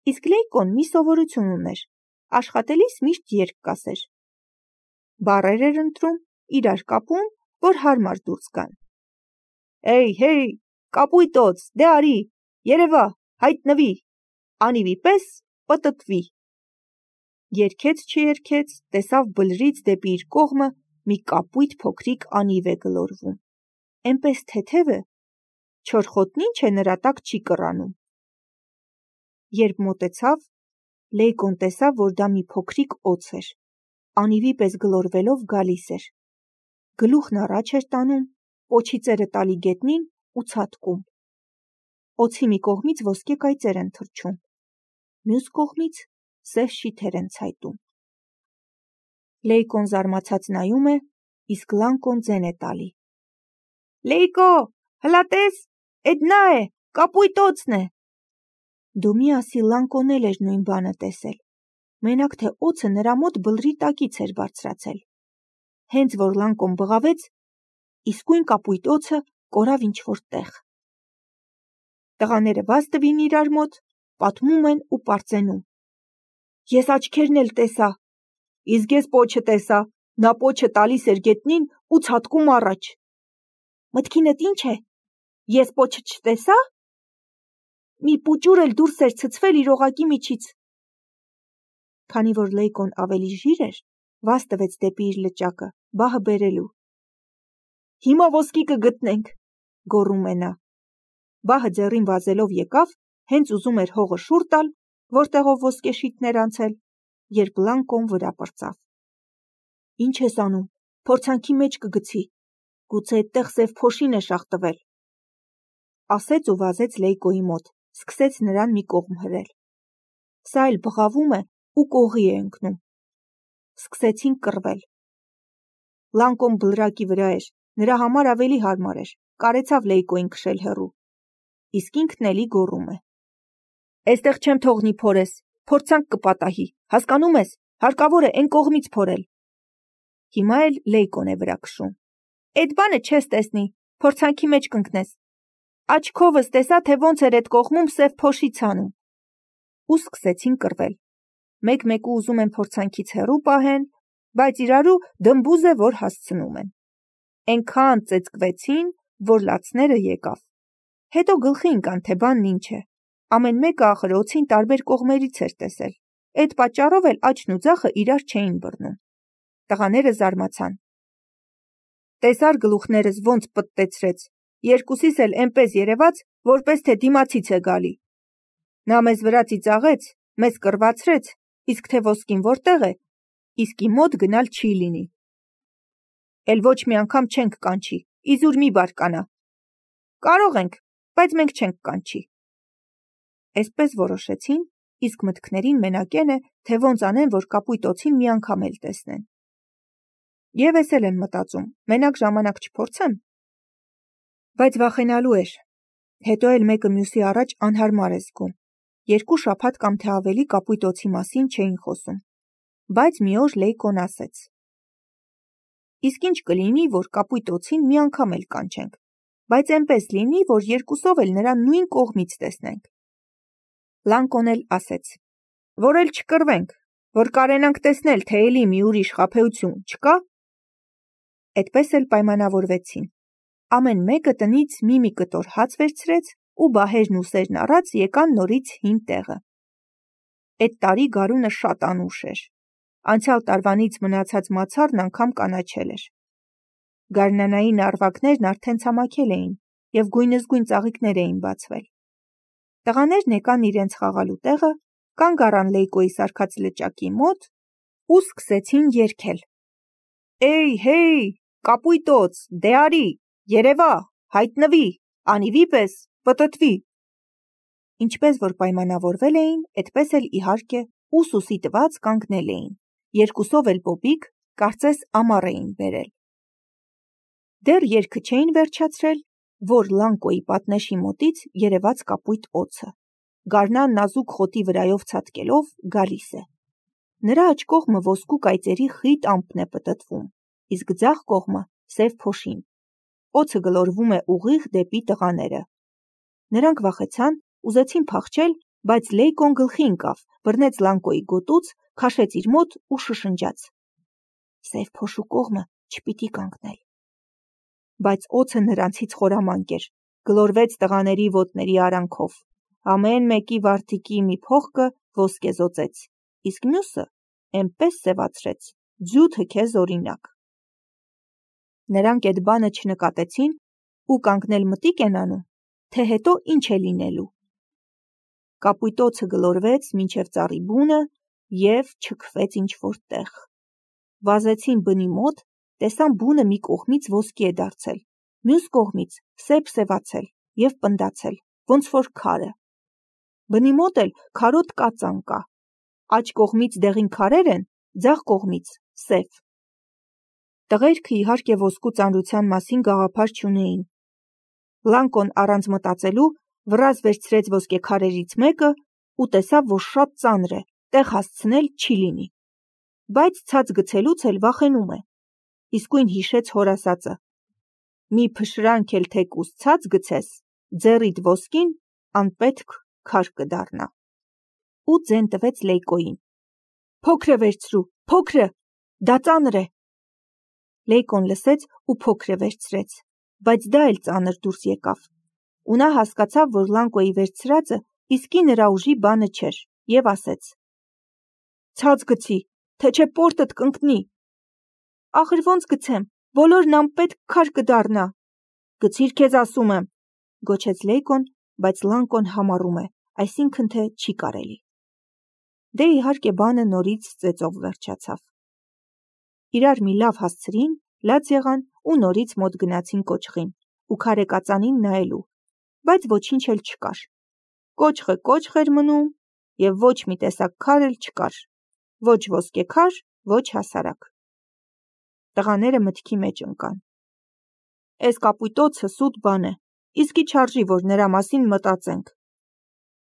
Իսկ Լեյկոն մի սովորություն ուներ, աշխատելիս միշտ երգ կասեր։ Բառեր էր ընտրում, իրար կապում, որ հարմար դուրս գան։ Էյ, հեյ, կապույտոց, դե արի, երևա, հայտնվի, անիվի պես պտտվի։ Երգեց չերգեց, տեսավ բլրից դեպի իր կողմը մի կապույտ փոքրիկ անիվ է գլորվում։ Էնպես թեթև է, չորխոտնի ինչ է նրա տակ չի կռանում։ Երբ մոտեցավ, Լեյկոն տեսավ, որ դա մի փոքրիկ օձ էր, անիվի պես գլորվելով գալիս էր։ Գլուխն առաջ էր տանում, պոչի ծերը տալի գետնին ու ցատկում։ Օձի մի կողմից ոսկե կայծեր են թռչում, մյուս կողմից սև շիթեր են ցայտում։ Լեյկոն զարմացած նայում է, իսկ Լանկոն ձեն է տալի։ Լեյկո, հլա տես, էդ նա է, կապույտ օձն է։ Դու մի ասի Լանկոն էլ էր նույն բանը տեսել, մենակ թե օձը նրա մոտ բլրի տակից էր բարձրացել։ Հենց որ Լանկոն բղավեց, իսկույն կապույտ օձը կորավ ինչ-որ տեղ։ Տղաները վազ տվին իրար մոտ, պատմում են ու պարծենում։ Ես աչքերն էլ տեսա, իսկ ես պոչը տեսա, նա պոչը տալիս էր գետնին ու ցատկում առաջ։ Մտքինդ ինչ է, ես պոչը չտեսա։ Մի պուճուր էլ դուրս էր ցցվել իր օղակի միջից։ Քանի որ Լեյկոն ավելի ժիր էր, վազ տվեց դեպի իր լճակը, բահը բերելու։ Հիմա ոսկի կգտնենք, գոռում է նա։ Բահը ձեռին վազելով եկավ, հենց ուզում էր հողը շուռ տալ, որտեղով ոսկե շիթներ անցել, երբ Լանկոն վրա պրծավ։ Ինչ ես անում, փորձանքի մեջ կգցի, գուցե այդտեղ սև փոշին է շաղտվել։ Ասեց ու վազեց Լեյկոյի մոտ, սկսեց նրան մի կողմ հրել։ Սա էլ բղավում է ու կողի է ընկնում։ Սկսեցին կռվել։ Լանկոն բլրակի վրա էր, նրա համար ավելի հարմար էր, կարեցավ Լեյկոյին քշել հեռու։ Իսկ ինքն էլի գոռում է. Էստեղ չեմ թողնի փորես, փորձանք կպատահի, հասկանում ես, հարկավոր է այն կողմից փորել։ Հիմա էլ Լեյկոն է վրա քշում։ Էդ բանը չես տեսնի, փորձանքի մեջ կընկնես։ Աչքովս տեսա, թե ոնց էր այդ կողմում սև փոշի ցանում։ Ու սկսեցին կռվել։ Մեկ-մեկու ուզում են փորձանքից հեռու պահեն, բայց իրարու դմբուզ է, որ հասցնում են։ Էնքան ծեծկվեցին, որ լացները եկավ։ Հետո գլխի ընկան, թե բանն ինչ է։ Ամեն մեկը ախր օձին տարբեր կողմերից էր տեսել։ Այդ պատճառով էլ աչն ու ձախը իրար չէին բռնում։ Տղաները զարմացան։ Տեսար գլուխներս ոնց պտտեցրեց, երկուսիս էլ էնպես երևաց, որպես թե դիմացից է գալի։ Նա մեզ վրա ծիծաղեց, մեզ կռվացրեց, իսկ թե ոսկին որտեղ է, իսկի մոտ գնալ չի լինի։ Էլ ոչ մի անգամ չենք կանչի, իզուր մի բարկանա։ Կարող ենք, բայց մենք չենք կանչի։ Այսպես որոշեցին, իսկ մտքներին մենակեն է, թե ոնց անեն, որ կապույտ օձին մի անգամ էլ տեսնեն։ Եվ ես էլ են մտածում, մենակ ժամանակ չփորձեմ։ Բայց վախենալու էր։ Հետո էլ մեկը մյուսի առաջ անհարմար է զգում։ 2 շաբաթ կամ թե ավելի կապույտ օձի մասին չէին խոսում։ Բայց մի օր Լեյկոն ասեց. Իսկ ինչ կլինի, որ կապույտ օձին մի անգամ էլ կանչենք, բայց այնպես լինի, որ երկուսով էլ նրան նույն կողմից տեսնենք։ Լանկոն էլ ասեց. որ էլ չկռվենք, որ կարենանք տեսնել, թե էլի մի ուրիշ խաբեություն չկա։ Այդպես էլ պայմանավորվեցին։ Ամեն մեկը տնից մի կտոր հաց վերցրեց ու բահերն ու սերն առած եկան նորից հին տեղը։ Այդ տարի գարունը շատ անուշ էր։ Անցյալ տարվանից մնացած մացառն անգամ կանաչել էր։ Գարնանային արվակներն արդեն ցամաքել էին և գույնզգույն ծաղիկներ էին բացվել։ Տղաներն եկան իրենց խաղալու տեղը, կանգ առան Լեյկոյի սարքած լճակի մոտ ու սկսեցին երգել. Էյ, հեյ, կապույտ օձ, դե արի, երևա, հայտնվի, անիվի պես պտտվի։ Ինչպես որ պայմանավորվել էին, այդպես էլ իհարկե ուսուսի տված կանգնել էին, երկուսով էլ պոպիկ, կարծես ամառ էին բերել։ Դեռ երգը չէին վերջացրել, որ Լանկոյի պատնեշի մոտից երևաց կապույտ օձը, գարնան նազուկ խոտի վրայով ցատկելով գալիս է։ Նրա աջ կողմը ոսկու կայծերի խիտ ամպն է պտտվում, իսկ ձախ կողմը սև փոշին։ Օձը գլորվում է ուղիղ դեպի տղաները։ Նրանք վախեցան, ուզեցին փախչել, բայց Լեյկոն գլխի ընկավ, բռնեց Լանկոյի գոտուց, քաշեց իր մոտ ու շշնջաց. «Սև փոշու կողմը չպիտի կանգնել»։ Բայց օձը նրանցից խորամանկ էր, գլորվեց տղաների ոտների արանքով, ամեն մեկի վարդիկի մի փողկը ոսկեզօծեց, իսկ մյուսը էնպես սևացրեց, ձյութը քեզ օրինակ։ Նրանք էդ բանը չնկատեցին ու կանգնել մտիկ են անում, թե հետո ինչ է լինելու։ Կապույտոցը գլորվեց մինչև ծառի բունը և չքվեց ինչ-որ տեղ։ Վազեցին բնի մոտ, տեսան բունը մի կողմից ոսկի է դարձել, մյուս կողմից սև-սևացել և պնդացել, ոնց որ քարը։ Բնի մոտ էլ քարոտ կածան կա, աջ կողմից դեղին քարեր են, ձախ կողմից սև։ Տղերքը իհարկե ոսկու ծանրության մասին գաղափար չունեին։ Լանկոն առանց մտածելու վռազը վերցրեց ոսկեքարերից մեկը ու տեսավ, որ շատ ծանր է, տեղ հասցնել չի լինի։ Բայց ցած գցելուց էլ վախենում է։ Իսկույն հիշեց հոր ասածը. «Մի փշրանք էլ թեկուզ ցած գցես, ձեռիդ ոսկին անպետք քար կդառնա»։ Ու ձեն տվեց Լեյկոյին. «Փոքրը վերցրու, փոքրը, դա ծանր է»։ Լեյկոն լսեց ու փոքրը վերցրեց, բայց դա էլ ծանր դուրս եկավ։ Ու նա հասկացավ, որ Լանկոյի վերցրածը իսկի նրա ուժի բանը չէր, և ասեց. «Ցած գցի, թե չէ պորտդ կընկնի»։ «Ախր ոնց գցեմ, բոլորն անպետք քար կդառնա»։ «Գցիր քեզ ասում եմ», գոչեց Լեյկոն, բայց Լանկոն համառում է, այսինքն թե չի կարելի։ Դե իհարկե բանը նորից ծեծով վերջացավ։ Իրար մի լավ հասցրին, լաց եղան ու նորից մոտ գնացին կոճղին ու քարեկածանին նայելու, բայց ոչինչ էլ չկար։ Կոճղը կոճղ էր մնում և ոչ մի տեսակ քար էլ չկար, ոչ ոսկեքար, ոչ հասարակ։ Տղաները մտքի մեջ ընկան. «Էս կապույտոցը սուտ բան է, իսկի չարժի, որ նրա մասին մտածենք»։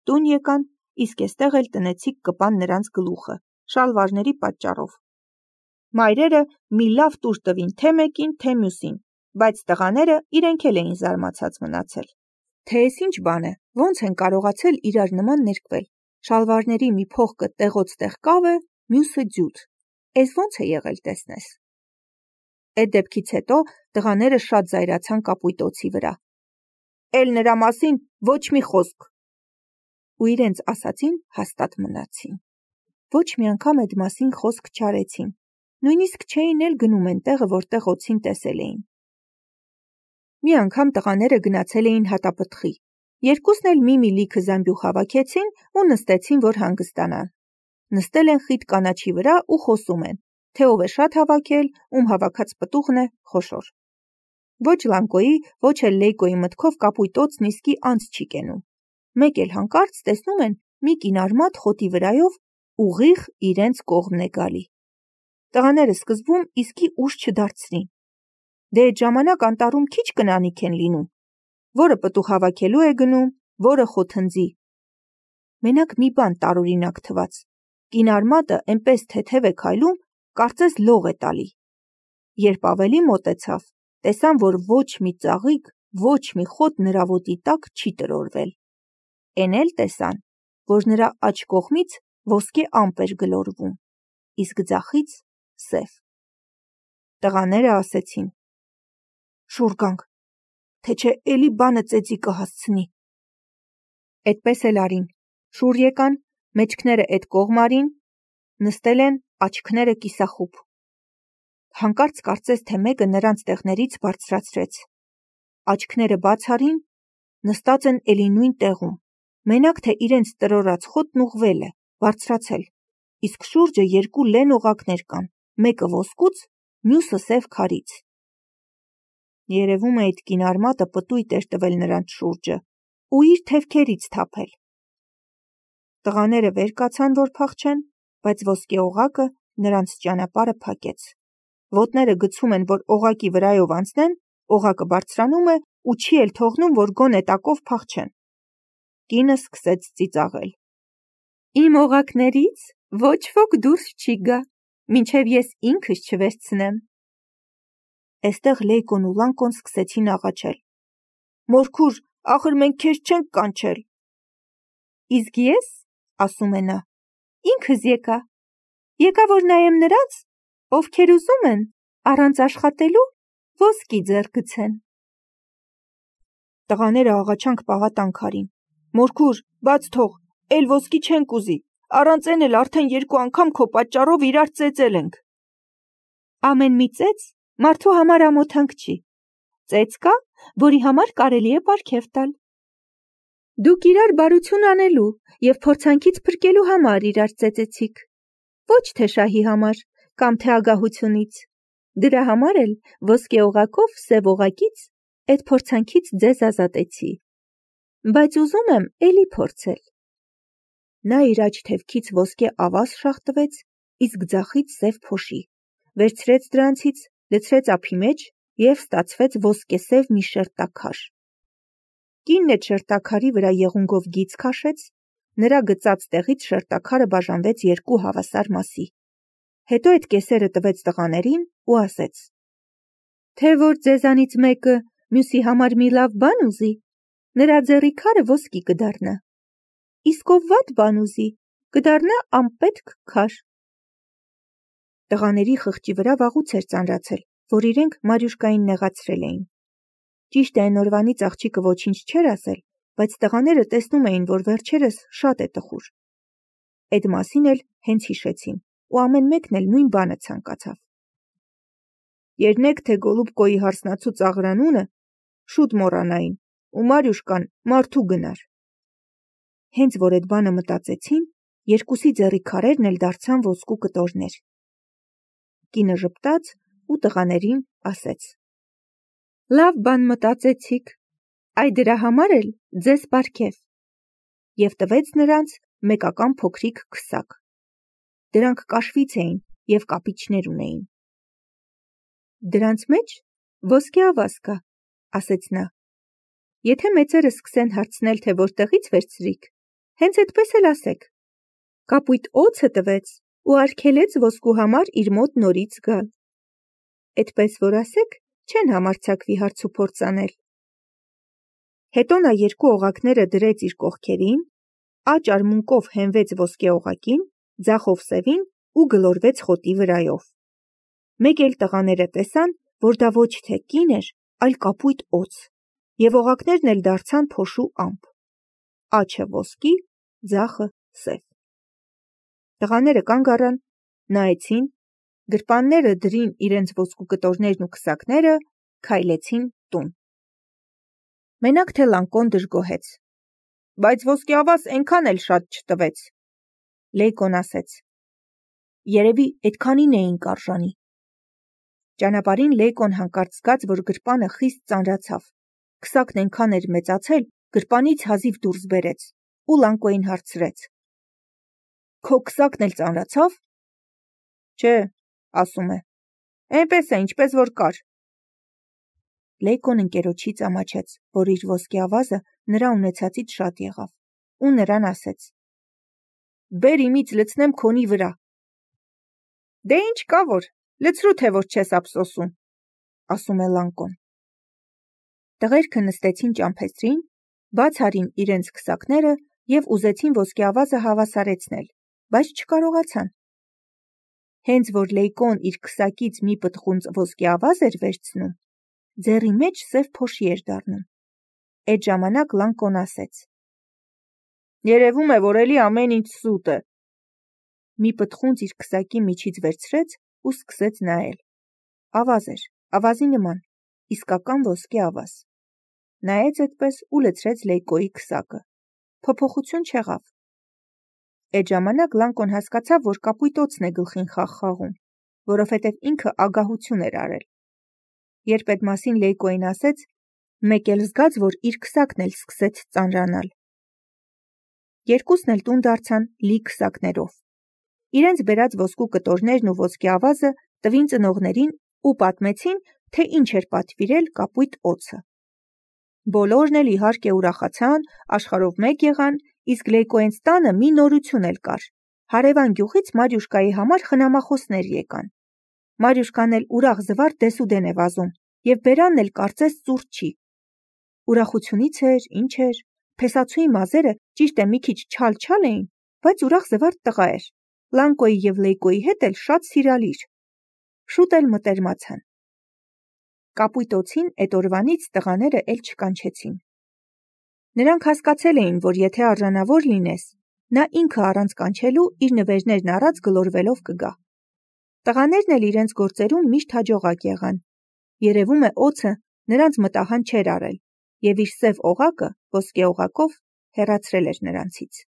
Տուն եկան, իսկ էստեղ էլ տնեցիք կպան նրանց գլուխը, շալվարների պատճառով։ Մայրերը մի լավ տուր տվին թե մեկին, թե մյուսին, բայց տղաները իրենք էլ էին զարմացած մնացել, թե էս ինչ բան է, ոնց են կարողացել իրար նման ներկվել, շալվարների մի փողկը տեղոց տեղ կավ է, մյուսը ձյութ, էս ոնց է եղել տեսնես։ Էդ դեպքից հետո տղաները շատ զայրացան կապույտոցի վրա։ «Էլ նրա մասին ոչ մի խոսք»։ Ու իրենց ասածին հաստատ մնացին։ Ոչ մի անգամ էդ մասին խոսք չարեցին, նույնիսկ չէին էլ գնում են տեղը, որտեղ օձին տեսել էին։ Մի անգամ տղաները գնացել էին հատապտղի, երկուսն էլ մի լիքը զամբյուղ հավաքեցին ու նստեցին, որ հանգստանան։ Նստել են խիտ կանաչի վրա ու խոսում են, թե ով է շատ հավաքել, ում հավաքած պտուղն է խոշոր։ Ոչ Լանկոյի, ոչ էլ Լեյկոյի մտքով կապույտոցն իսկի անց չի կենում։ Մեկ էլ հանկարծ տեսնում են մի կինարմատ խոտի վրայով ուղիղ իրենց կողմն է գալի։ Տղաները սկզբում իսկի ուշ չդարձրին։ Դե այդ ժամանակ անտառում քիչ կնանիք են լինում, որը պտուղ հավաքելու է գնում, որը խոթնձի։ Մենակ մի բան տարօրինակ թվաց. կինարմատը էնպես թեթև է քայլում, կարծես լող է տալի։ Երբ ավելի մոտեցավ, տեսան, որ ոչ մի ծաղիկ, ոչ մի խոտ նրա ոտի տակ չի տրորվել։ Էն էլ տեսան, որ նրա աջ կողմից ոսկե ամպ էր գլորվում, իսկ ձախից սև։ Տղաները ասեցին. «Շուռ գանք, թե չէ էլի բանը ծեծի կհասցնի»։ Էդպես էլ արին, շուռ եկան, մեջքները էդ կողմ արին, նստել են, աչքները կիսախուբ։ Հանկարծ կարծես թե մեկը նրանց տեղներից բարձրացրեց։ Աչքները բաց արին, նստած են էլի նույն տեղում, մենակ թե իրենց տրորած խոտն ուղղվել է, բարձրացել, իսկ շուրջը երկու լեն օղակներ կան, մեկը ոսկուց, մյուսը սև քարից։ Երևում է այդ կինարմատը պտույտ էր տվել նրանց շուրջը ու իր թևքերից թափել։ Տղաները վեր կացան, որ փախչեն, բայց ոսկե օղակը նրանց ճանապարհը փակեց։ Ոտները գցում են, որ օղակի վրայով անցնեն, օղակը բարձրանում է ու չի էլ թողնում, որ գոնե տակով փախչեն։ Կինը սկսեց ծիծաղել. «Իմ օղակներից ոչ ոք դուրս չի գա, մինչև ես ինքս չվերցնեմ»։ Էստեղ Լեյկոն ու Լանկոն սկսեցին աղաչել. «Մորքուր, ախր մենք քեզ չենք կանչել»։ Իսկ ես, ասում է նա, ինքս եկա որ նայեմ նրանց, ովքեր ուզում են առանց աշխատելու ոսկի ձեռք գցեն։ Տղաները աղաչանք պաղատանք արին. Մորքուր, բաց թող, էլ ոսկի չենք ուզի, առանց են էլ արդեն 2 անգամ քո պատճառով իրար ծեծել ենք։ Ամեն մի ծեծ մարդու համար ամոթանք չի։ Ծեծ կա, որի համար կարելի է պարգև տալ։ Դուք իրար բարություն անելու և փորձանքից փրկելու համար իրար ծեծեցիք, ոչ թե շահի համար կամ թե ագահությունից։ Դրա համար էլ ոսկե օղակով սև օղակից այդ փորձանքից ձեզ ազատեցի։ Բայց ուզում եմ էլի փորձել։ Նա իր աջ թևքից ոսկե ավազ շաղ տվեց, իսկ ձախից սև փոշի, վերցրեց դրանցից, լցրեց ափի մեջ և ստացվեց ոսկեսև մի շերտաքար։ Կինն այդ շերտաքարի վրա եղունգով գիծ քաշեց, նրա գծած տեղից շերտաքարը բաժանվեց 2 հավասար մասի։ Հետո այդ կեսերը տվեց տղաներին ու ասեց. Թե որ ձեզանից մեկը մյուսի համար մի լավ բան ուզի, նրա ձեռի քարը ոսկի կդառնա, իսկ ով վատ բան ուզի, կդառնա անպետք քար։ Տղաների խղճի վրա վաղուց էր ծանրացել, որ իրենք Մարյուշկային նեղացրել էին։ Ճիշտ է, այն օրվանից աղջիկը ոչինչ չէր ասել, բայց տղաները տեսնում էին, որ վերջերս շատ է տխուր։ Այդ մասին էլ հենց հիշեցին, ու ամեն մեկն էլ նույն բանը ցանկացավ։ Երնեք թե Գոլուբկոյի հարսնացու ծաղրանունը շուտ մոռանային, ու Մարյուշկան մարդու գնար։ Հենց որ այդ բանը մտածեցին, երկուսի ձեռի քարերն էլ դարձան ոսկու կտորներ։ Կինը ժպտաց ու տղաներին ասեց. Լավ բան մտածեցիք, այ դրա համար էլ ձեզ պարգև, և տվեց նրանց մեկական փոքրիկ քսակ։ Դրանք կաշվից էին և կապիճներ ունեին։ Դրանց մեջ ոսկե ավազ կա, ասեց նա։ Եթե մեծերը սկսեն հարցնել, թե որտեղից վերցրիք, հենց այդպես էլ ասեք. կապույտ օձը տվեց ու արգելեց ոսկու համար իր մոտ նորից գալ։ Այդպես որ ասեք, չեն համարձակվի հարց ու փորձ անել։ Հետո նա 2 օղակները դրեց իր կողքերին, աջ արմունկով հենվեց ոսկե օղակին, ձախով սևին ու գլորվեց խոտի վրայով։ Մեկ էլ տղաները տեսան, որ դա ոչ թե կին էր, այլ կապույտ օձ, և օղակներն էլ դարձան փոշու ամպ։ Աջը ոսկի, ձախը սև։ Տղաները կանգ առան, նայեցին, գրպանները դրին իրենց ոսկու կտորներն ու քսակները, քայլեցին տուն։ Մենակ թե Լանկոն դժգոհեց. Բայց ոսկե ավազ այնքան էլ շատ չտվեց։ Լեյկոն ասեց. Երևի այդքանին էինք արժանի։ Ճանապարհին Լեյկոն հանկարծ զգաց, որ գրպանը խիստ ծանրացավ։ Քսակն այնքան էր մեծացել, գրպանից հազիվ դուրս բերեց, ու Լանկոյին հարցրեց. Քո քսակն էլ ծանրացավ։ Չէ, ասում է, այնպես է, ինչպես որ կար։ Լեյկոն ընկերոջից ամաչեց, որ իր ոսկե ավազը նրա ունեցածից շատ եղավ, ու նրան ասեց. Բեր իմից լցնեմ քոնի վրա։ Դե ինչ կա որ, լցրու թե որ չես ափսոսում, ասում է Լանկոն։ Տղերքը նստեցին ճամփեստրին, բաց արին իրենց քսակները և ուզեցին ոսկե ավազը հավասարեցնել, բայց չկարողացան։ Հենց որ Լեյկոն իր քսակից մի պտղունց ոսկե ավազ էր վերցնում, ձեռի մեջ սև փոշի էր դառնում։ Այդ ժամանակ Լանկոն ասեց. Երևում է, որ էլի ամեն ինչ սուտ է։ Մի պտղունց իր քսակի միջից վերցրեց ու սկսեց նայել։ Ավազ էր, ավազի նման, իսկական ոսկե ավազ։ Նայեց այդպես ու լցրեց Լեյկոյի քսակը։ Փոփոխություն չեղավ։ Այդ ժամանակ Լանկոն հասկացավ, որ կապույտ օձն է գլխին խաղ խաղում, որովհետև ինքը ագահություն էր արել։ Երբ այդ մասին Լեյկոյին ասեց, մեկ էլ զգաց, որ իր քսակն էլ սկսեց ծանրանալ։ Երկուսն էլ տուն դարձան լի քսակներով։ Իրենց բերած ոսկու կտորներն ու ոսկե ավազը տվին ծնողներին ու պատմեցին, թե ինչ էր պատվիրել կապույտ օձը։ Բոլորն էլ իհարկե ուրախացան, աշխարհով մեկ եղան, իսկ Լեյկոյենց տանը մի նորություն էլ կար։ Հարևան գյուղից Մարյուշկայի համար խնամախոսներ եկան։ Մարյուշկան էլ ուրախ զվարթ դեսուդեն է վազում, և բերանն էլ կարծես ծուռ չի։ Ուրախությունից էր, ինչ էր, Փեսացուի մազերը ճիշտ է մի քիչ չալ էին, բայց ուրախ զվարթ տղա էր։ Լանկոյի և Լեյկոյի հետ էլ շատ սիրալիր։ Շուտ էլ մտերմացան։ Կապույտ օձին էդ օրվանից տղաները էլ չկանչեցին։ Նրանք հասկացել էին, որ եթե արժանավոր լինես, նա ինքը առանց կանչելու իր նվերներն առած գլորվելով կգա։ Տղաներն էլ իրենց գործերում միշտ հաջողակ եղան։ Երևում է օձը նրանց մտահան չէր արել, և իր սև օղակը ոսկե օղակով հեռացրել էր նրանցից։